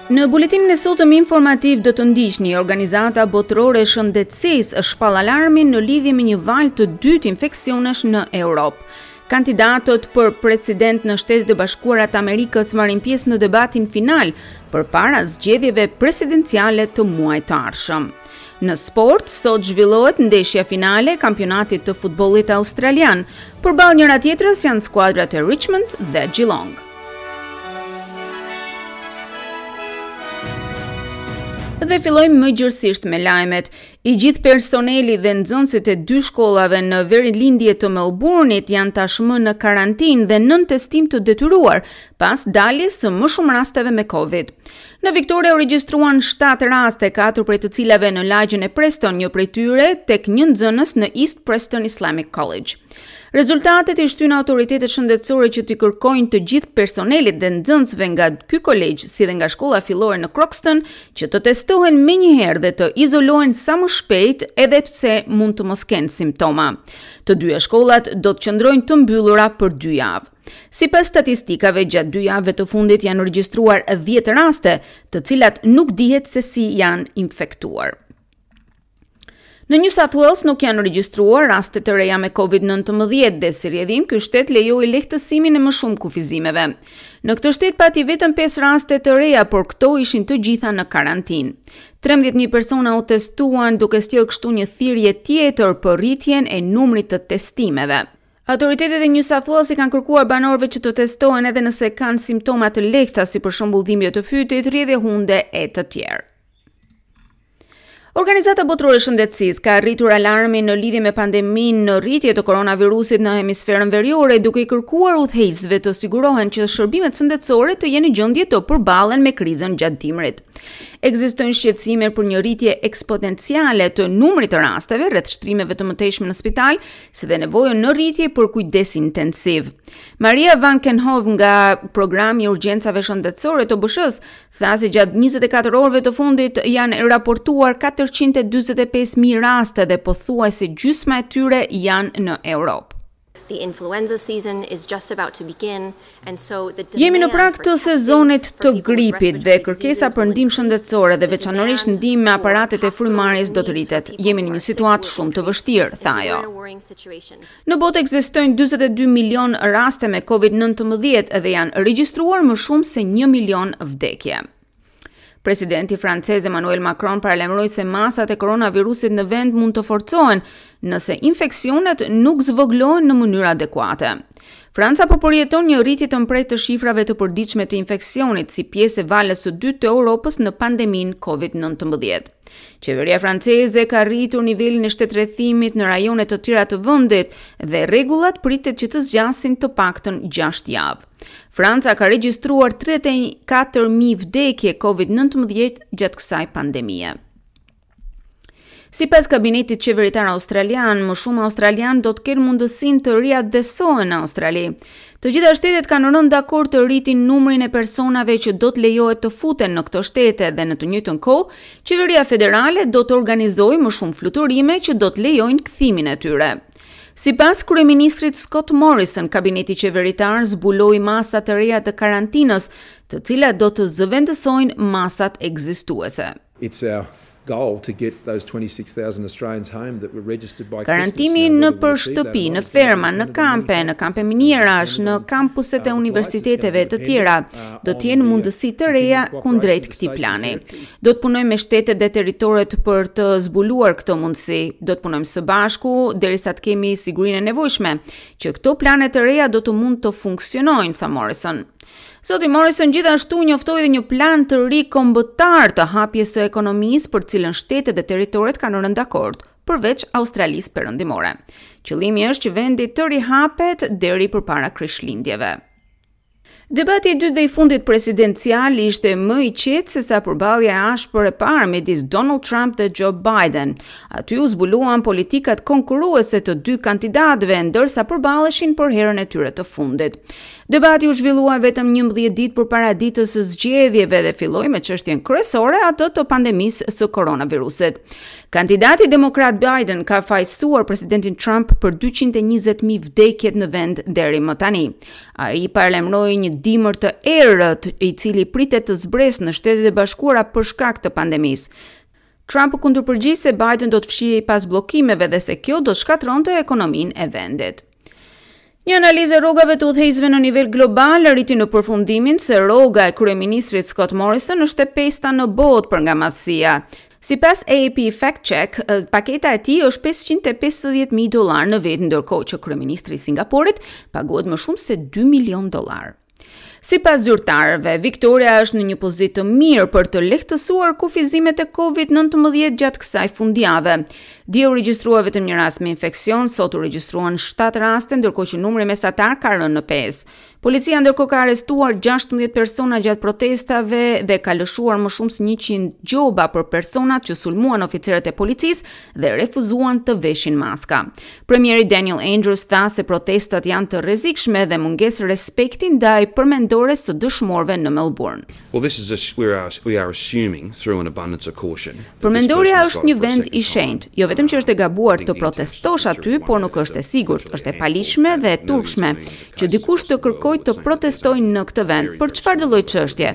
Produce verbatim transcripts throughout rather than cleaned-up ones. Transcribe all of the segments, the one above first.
Në buletinin e sotëm informativ do të ndiqni: Organizata Botërore e Shëndetësisë shpall alarmin në lidhje me një valë të dytë infeksionesh në Europë. Kandidatët për president në Shtetet e Bashkuara të Amerikës marrin pjesë në debatin final përpara zgjedhjeve presidenciale të muajit të ardhshëm. Në sport, sot zhvillohet ndeshja finale e kampionatit të futbollit australian. Përballë njëra tjetrës janë skuadrat e Richmond dhe Geelong. Dhe fillojmë më gjërësisht me lajmet. I gjithë personeli dhe nxënësit e dy shkollave në verilindje të Melbourne-it janë tashmë në karantinë dhe nën testim të detyruar pas daljes së më shumë rasteve me Covid. Në Victoria u regjistruan shtatë raste, katër prej të cilave në lagjen e Preston, një prej tyre tek një nxënës në East Preston Islamic College. Rezultatet i shtynë autoritetet shëndetësore që t'i kërkojnë të gjithë personelit dhe nxënësve nga ky kolegj, si dhe nga shkolla fillore në Croxton, që të testohen menjëherë dhe të izolohen sa më shpejt, edhe pse mund të mos kenë simptoma. Të dyja shkollat do të qëndrojnë të mbyllura për dy javë. Sipas statistikave, gjatë dy javëve të fundit janë regjistruar dhjetë raste, të cilat nuk dihet se si janë infektuar. Në New South Wales nuk janë regjistruar raste të reja me Covid nëntëmbëdhjetë dhe si rrjedhim ky shtet lejoi lehtësimin e më shumë kufizimeve. Në këtë shtet pati vetëm pesë raste të reja, por këto ishin të gjitha në karantinë. trembëdhjetë mijë persona u testuan, duke sjellë kështu një thirrje tjetër për rritjen e numrit të testimeve. Autoritetet e New South Wales i kanë kërkuar banorëve që të testohen edhe nëse kanë simptoma të lehta, si për shembull dhimbje të fytit, rrjedhje hunde e të tjerë. Organizata Botërore e Shëndetësisë ka rritur alarmin në lidhje me pandeminë në rritje të koronavirusit në hemisferën veriore, duke i kërkuar udhëheqësve të sigurohen që shërbimet shëndetësore të jenë në gjendje të përballen me krizën gjatë dimrit. Ekzistojnë shqetësime për një rritje eksponenciale të numrit të rasteve rreth shtrimeve të mëtejshme në spital, si dhe nevojën në rritje për kujdes intensiv. Maria Van Kerkhove nga programi i urgjencave shëndetësore të O B S-së tha se gjatë njëzet e katër orëve të fundit janë raportuar katërqind e dyzet e pesë mijë raste dhe pothuajse gjysma e tyre janë në Europë. The influenza season is just about to begin, and so the Jemi në demand prag for të testing sezonit for të people with gripit dhe respiratory kërkesa diseases për will ndihmë increase. shëndetësore dhe The veçanërisht demand ndihmë me for aparatet e hospital frymëmarrjes do të needs for rritet. people Jemi who në një are sick situatë will shumë të increase. vështirë, And tha so we're ajo. in a worrying situation. Në botë ekzistojnë dyzet e dy milion raste me Covid nëntëmbëdhjetë dhe janë regjistruar më shumë se një milion vdekje. Presidenti francez Emmanuel Macron paralajmëroi se masat e koronavirusit në vend mund të forcohen nëse infeksionet nuk zvogëlohen në mënyrë adekuate. Franca po përjeton një rritje të mprehtë të shifrave të përditshme të infeksionit si pjesë e valës së dytë të Europës në pandeminë Covid nëntëmbëdhjetë. Qeveria franceze ka rritur nivelin e shtetrrethimit në rajone të tjera të vendit dhe rregullat pritet që të zgjasin të paktën gjashtë javë. Franca ka regjistruar tridhjetë e katër mijë vdekje Covid nëntëmbëdhjetë gjatë kësaj pandemie. Sipas kabinetit qeveritar australian, më shumë australian do të kenë mundësinë të riadhesohen në Australi. Të gjitha shtetet kanë rënë dakord të rritin numrin e personave që do të lejohet të futen në këto shtete dhe në të njëjtën kohë, qeveria federale do të organizojë më shumë fluturime që do të lejojnë kthimin e tyre. Sipas kryeministrit Scott Morrison, kabineti qeveritar zbuloi masa të reja të karantinës, të cilat do të zëvendësojnë masat ekzistuese. It's our goal to get those twenty-six thousand Australians home that were registered by Christmas. Karantimi Now, në whether we për achieve that or shtëpi, not në is gonna ferma, depend në on many kampe, në factors. kampe It's gonna minerash, depend në on, kampuset e uh, the flights, it's gonna universiteteve të depend, tjera, uh, do të on jenë the mundësi të reja continued kundrejt cooperation with këtij states and plani. territories. Do të punojmë me shtetet dhe territoret për të zbuluar këtë mundësi. Do të punojmë së bashku derisa të kemi sigurinë e nevojshme që këto plane të reja do të mund të funksionojnë, tha Morrison. Zoti Morrison gjithashtu njoftoi edhe një plan të ri kombëtar të hapjes së ekonomisë për cilën shtetet dhe territoret kanë rënë dakord, përveç Australisë Perëndimore. Qëllimi është që vendi të rihapet deri përpara Krishtlindjeve. Debati i dytë dhe i fundit presidencial ishte më i qetë se sa përballja e ashpër e parë midis Donald Trump dhe Joe Biden. Aty u zbuluan politikat konkurruese të dy kandidatëve, ndërsa përballeshin për herën e tyre të fundit. Debati u zhvillua vetëm njëmbëdhjetë ditë përpara ditës së zgjedhjeve dhe filloi me çështjen kryesore, atë të pandemisë së koronavirusit. Kandidati demokrat Biden ka fajësuar presidentin Trump për dyqind e njëzet mijë vdekjet në vend deri më tani. Ai paralajmëroi një dimër të errët, i cili pritet të zbresë në Shtetet e Bashkuara për shkak të pandemisë. Trump u kundërpërgjigj se Biden do të fshihej pas bllokimeve dhe se kjo do të shkatërronte ekonominë e vendit. Një analizë e rrogave të udhëheqësve në nivel global arriti në përfundimin se rroga e kryeministrit Scott Morrison është e pesta në botë për nga madhësia. Sipas A A P Fact Check, paketa e tij është pesëqind e pesëdhjetë mijë dollar në vit, ndërkohë që kryeministri i Singaporit paguhet më shumë se dy milion dollar. Sipas zyrtarëve, Victoria është në një pozitë të mirë për të lehtësuar kufizimet e Covid nëntëmbëdhjetë gjatë kësaj fundjave. Dje u regjistrua vetëm një rast me infeksion, sot u regjistruan shtatë raste, ndërkohë që numri mesatar ka rënë në pesë. Policia ndërkohë ka arrestuar gjashtëmbëdhjetë persona gjatë protestave dhe ka lëshuar më shumë se njëqind gjoba për personat që sulmuan oficerët e policisë dhe refuzuan të veshin maska. Premieri Daniel Andrews tha se protestat janë të rrezikshme dhe mungesë respekti ndaj përmendores së dëshmorëve në Melbourne. Well, this is a, we are we are assuming through an abundance of caution. Përmendorja është një vend i shenjtë, jo vetëm që është e gabuar të protestosh aty, por nuk është e sigurt, është e paligjshme dhe e turpshme që dikush të kërkojë të protestojë në këtë vend për çfarë lloj çështje.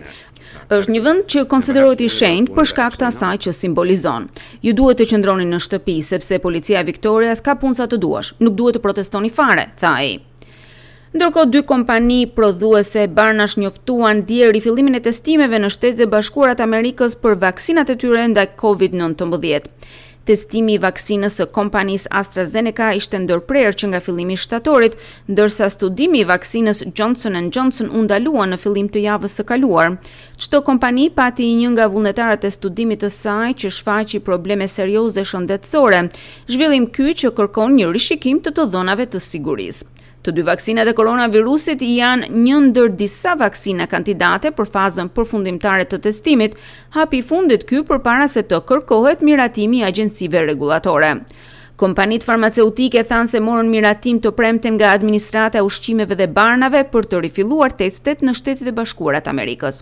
Është një vend që konsiderohet i shenjtë për shkak të asaj që simbolizon. Ju duhet të qëndroni në shtëpi sepse policia e Victorias ka punë sa të duash. Nuk duhet të protestoni fare, tha ai. Ndërkohë, dy kompani prodhuese barnash njoftuan dje rifillimin e testimeve në Shtetet e Bashkuara të Amerikës për vaksinat e tyre ndaj Covid nëntëmbëdhjetë. Testimi i vaksinës së kompanisë AstraZeneca ishte ndërprerë që nga fillimi i shtatorit, ndërsa studimi i vaksinës Johnson and Johnson u ndalua në fillim të javës së kaluar. Çdo kompani pati një nga vullnetarët e studimit të saj që shfaqi probleme serioze shëndetësore, zhvillim ky që kërkon një rishikim të të dhënave të sigurisë. Të dy vaksinat e koronavirusit janë një ndër disa vaksina kandidate për fazën përfundimtare të testimit, hapi i fundit ky përpara se të kërkohet miratimi i agjencive rregullatore. Kompanitë farmaceutike thanë se morën miratim të premten nga administrata e ushqimeve dhe barnave për të rifilluar testet në Shtetet e Bashkuara të Amerikës.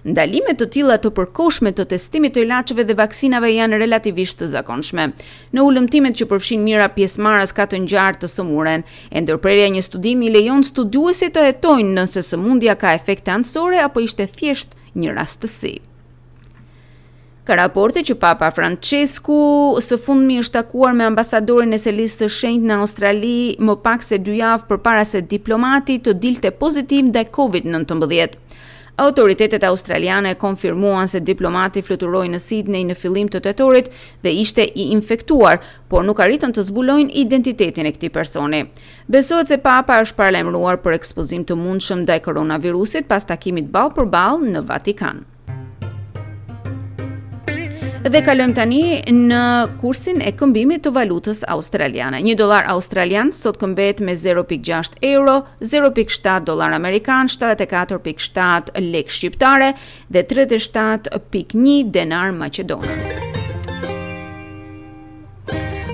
Ndalime të tilla të përkohshme të testimit të ilaçeve dhe vaksinave janë relativisht të zakonshme. Në hulumtimet që përfshin mijëra pjesëmarrës ka të ngjarë të sëmuren, e ndërprerja e një studimi lejon studiuesit të hetojnë nëse sëmundja ka efekte anësore apo ishte thjesht një rastësi. Ka raporte që Papa Francesku së fundmi është takuar me ambasadorin e Selisë së Shenjtë në Australi më pak se dy javë përpara se diplomati të dilte pozitiv ndaj Covid nëntëmbëdhjetë. Autoritetet australiane konfirmuan se diplomati fluturoi në Sydney në fillim të tetorit dhe ishte i infektuar, por nuk arritën të zbulojnë identitetin e këtij personi. Besohet se Papa është paralajmëruar për ekspozim të mundshëm ndaj koronavirusit pas takimit ballë për ballë në Vatikan. Dhe kalojmë tani në kursin e këmbimit të valutës australiane. Një dollar australian sot këmbehet me zero pikë gjashtë euro, zero pikë shtatë dollar amerikan, shtatëdhjetë e katër pikë shtatë lek shqiptare dhe tridhjetë e shtatë pikë një denar maqedonas.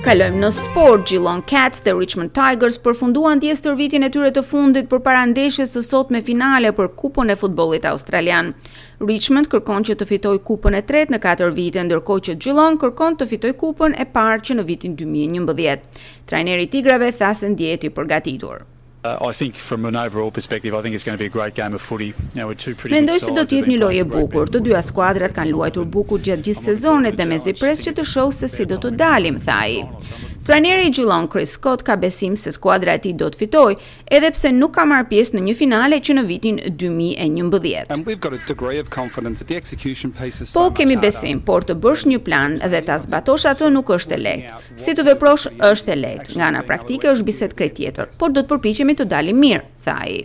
Kalojmë në sport. Geelong Cats dhe Richmond Tigers përfunduan dje stërvitjen e tyre të fundit përpara ndeshjes së sotme finale për Kupën e Futbollit Australian. Richmond kërkon që të fitojë kupën e tretë në katër vite, ndërkohë që Geelong kërkon të fitojë kupën e parë që në vitin dy mijë e njëmbëdhjetë. Trajneri i Tigrave tha se ndjehet i përgatitur. Uh, I think from an overall perspective, I think it's going to be a great game of footy. You know, with two pretty Mendoj se do të jetë një lojë e bukur. Të dyja skuadrat kanë luajtur bukur gjatë gjithë sezonit dhe mezi pres që të shoh se si do të dalim, tha ai. Trajneri i Geelong Chris Scott ka besim se skuadra e tij do të fitojë, edhe pse nuk ka marrë pjesë në një finale që në vitin dy mijë e njëmbëdhjetë. And we've got a degree of confidence. The execution piece is so Po, kemi besim, por të bësh një plan dhe ta zbatosh atë nuk është e lehtë. Si të veprosh është e lehtë. Nga ana praktike është bisedë krejt tjetër, por do të përpiqemi të dalim mirë, tha ai.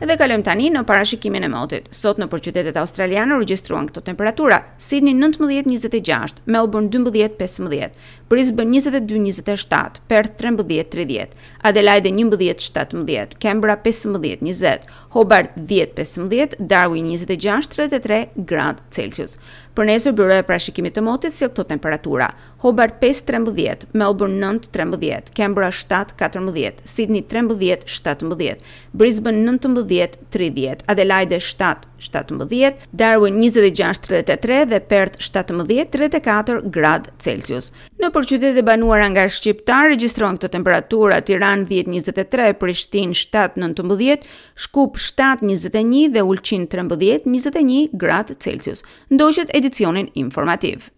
Dhe kalojmë tani në parashikimin e motit. Sot në qytetet australiane u regjistruan këto temperatura: Sydney nëntëmbëdhjetë njëzet e gjashtë, Melbourne dymbëdhjetë pesëmbëdhjetë, Brisbane njëzet e dy njëzet e shtatë, Perth trembëdhjetë tridhjetë, Adelaide njëmbëdhjetë shtatëmbëdhjetë, Canberra pesëmbëdhjetë njëzet, Hobart dhjetë pesëmbëdhjetë, Darwin njëzet e gjashtë tridhjetë e tre gradë Celsius. Për nesër, byroja e parashikimit të motit sjell këto temperatura: Hobart pesë trembëdhjetë, Melbourne nëntë trembëdhjetë, Canberra shtatë katërmbëdhjetë, Sydney trembëdhjetë shtatëmbëdhjetë, Brisbane nëntëmbëdhjetë njëmbëdhjetë tridhjetë, Adelaide shtatë shtatëmbëdhjetë, Darwin njëzet e gjashtë tridhjetë e tre dhe Perth shtatëmbëdhjetë tridhjetë e katër gradë Celsius. Nëpër qytetet e banuara nga shqiptarë regjistrohen këto temperatura: Tiranë dhjetë njëzet e tre, Prishtinë shtatë nëntëmbëdhjetë, Shkup shtatë njëzet e një dhe Ulqin trembëdhjetë njëzet e një gradë Celsius. Ndoqët edicionin informativ.